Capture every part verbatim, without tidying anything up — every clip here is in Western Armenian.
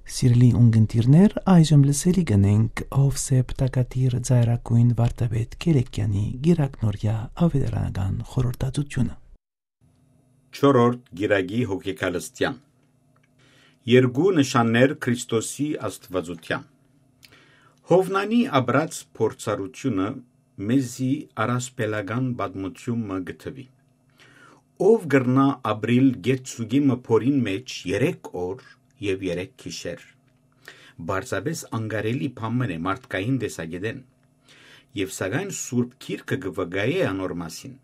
Սիրելի ունգընտիրներ, այժմ լսելի կ'ընենք Հովսեփ Տակատիր ծայրագոյն վարդապետ Քերեքեանի գիրակնորյա աւետարանական խորհրդածութիւնը։ Չորրորդ գիրագի հոգեկալստեան։ Երկու նշաններ Քրիստոսի աստուածութեան։ Հովնանի ապրած փորձառութիւնը մեզի առասպելական պատմութիւն մը կը թուի։ Ո՞վ կրնայ ապրիլ գետ սուկի մը փորին մէջ երեք օր եւ երեք գիշեր։ Պարզապէս անկարելի բան մըն է մարդկային տեսակէտէն։ Եւ սակայն Սուրբ Գիրքը կը վկայէ անոր մասին,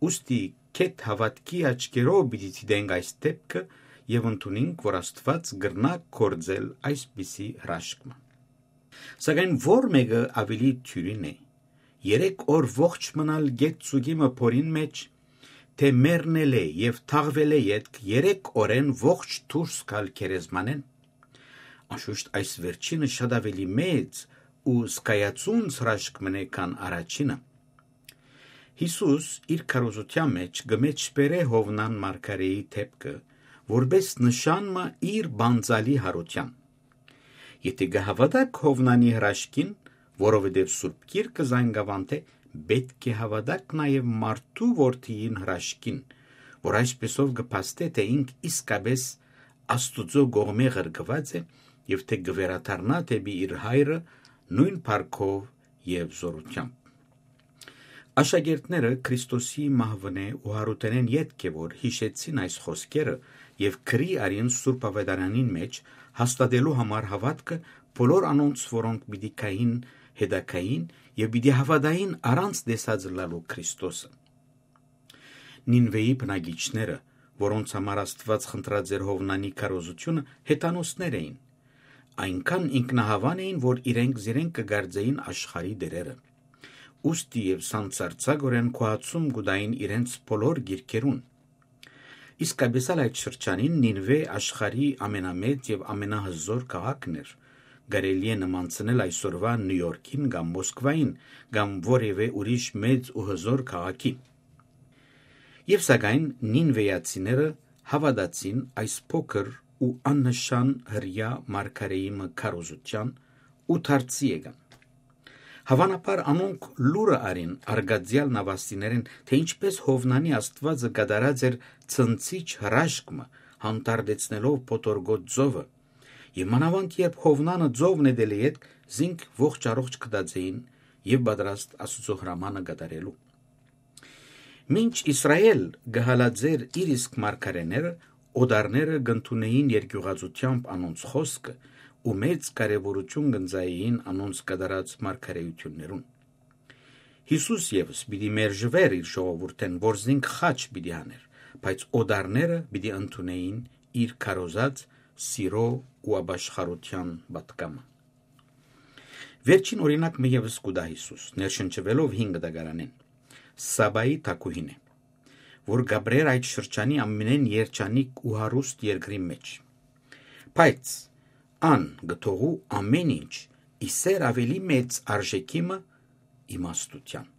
ուստի գեթ հաւատքի աչքերով պիտի դիտենք այս դէպքը եւ ընդունենք, որ Աստուած կրնայ գործել այսպիսի հրաշք մը։ Սակայն ո՞ր մէկը աւելի դիւրին է, երեք օր ողջ մնալ գեթ սուկի մը փորին մէջ, թէ մեռնել է եւ թաղվել է ետք երեք օրէն ողջ դուրս գալ գերեզմանէն։ Անշուշտ այս վերջինը շատ աւելի մեծ ու զգայացունց հրաշք մըն է, քան առաջինը։ Յիսուս իր քարոզութեան մէջ կը մեջբերէ Հովնան մարգարէի դէպքը, որպէս նշան մը իր բանձալի յարութեան։ Եթէ կը հաւատաք Հովնանի հրաշքին, որովհետեւ Սուրբ Գիրքը զայն կ'աւանդէ, պէտք է հաւատաք նաեւ մարդու որդիին հրաշքին, որ այսպեսով կը փաստէ, թէ ինք իսկապէս Աստուծոյ կողմէ ղրկուած է եւ թէ կը վերադառնայ դէպի իր Հայրը նոյն փառքով եւ զօրութեամբ։ Աշակերտները Քրիստոսի մահուընէ ու յարութենէն ետք է որ յիշեցին այս խօսքերը եւ գրի առին Սուրբ Աւետարանին մէջ, հաստատելու համար հաւատքը բոլոր անոնց, որոնք պիտի գային հետագային եւ պիտի հաւատային առանց տեսած ըլլալու Քրիստոսը։ Նինուէի բնակիչները, որոնց համար Աստուած խնդրած էր Հովնանի քարոզութիւնը, հեթանոսներ էին։ Այնքան ինքնահաւան էին, որ իրենք զիրենք կը կարծէին աշխարհի տէրերը։ Ուստի եւ սանձարձակօրէն գոհացում կու տային իրենց բոլոր գիրքերուն։ Իսկապէս ալ այդ շրջանին Նինուէ աշխարհի ամենամեծ եւ ամենահզօր քաղաքն էր, կարելի է նմանցնել այսօրուայ Նիու Յորքին կամ Մոսկվային, կամ որեւէ ուրիշ մեծ ու հզօր քաղաքի։ Եւ սակայն նինուէացիները հաւատացին այս փոքր ու աննշան հրեայ մարգարէի մը քարոզութեան ու դարձի եկան։ Հաւանաբար անոնք լուրը առին արգածեալ նավաստիներէն, թէ ինչպէս Հովնանի Աստուածը կատարած էր ցնցիչ հրաշք մը, հանդարտեցնելով փոթորկոտ ծովը, եւ մանաւանդ երբ Հովնանը ծովն նետելէ ետք, զինք ողջ առողջ գտած էին եւ պատրաստ Աստուծոյ հրամանը կատարելու։ Մինչ Իսրայէլ կը հալածէր իր իսկ մարգարէները, օտարները կ'ընդունէին երկիւղածութեամբ անոնց խօսքը ու մեծ կարեւորութիւն կ'ընծայէին անոնց կատարած մարգարէութիւններուն։ Յիսուս եւս պիտի մերժուէր իր ժողովուրդէն, որ զինք խաչ պիտի հանէր, բայց օտարները պիտի ընդունէին իր քարոզած սիրո ու ապաշխարութեան պատգամը։ Վերջին օրինակ մը եւս կու տայ Յիսուս, ներշնչուելով հին կտակարանին։ Սաբայի թագուհին է, որ կ'ապրէր այդ շրջանի ամենէն երջանիկ ու հարուստ երկրի մէջ։ Բայց ան կը թողու ամէն ինչ, ի սէր աւելի մեծ արժէքի մը՝ իմաստութեան։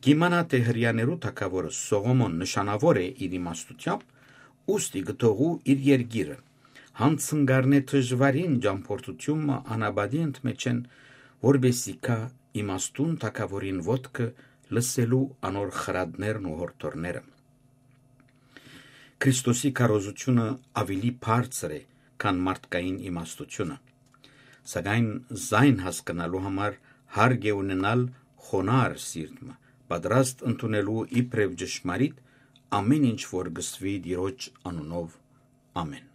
Կ'իմանայ թէ հրեաներու թագաւորը Սողոմոն նշանաւոր է իր իմաստութեամբ, ուստի կը թողու իր երկիրը, յանցնկարնէ դժուարին ճամբորդութիւն մը անապատի ընդմէջէն, որպէս զի գայ իմաստուն թագաւորին ոտքը, լսելու անոր խրատներն ու յորդորները։ Քրիստոսի քարոզութիւնը աւելի բարձր է, քան մարդկային իմաստութիւնը։ Սակայն զայն հասկնալու համար հարկ է ունենալ խոնարհ սիրտ մը, պատրաստ ընդունելու իբրեւ ճշմարիտ ամէն ինչ, որ կ'ըսուի Տիրոջ անունով։ Ամէն։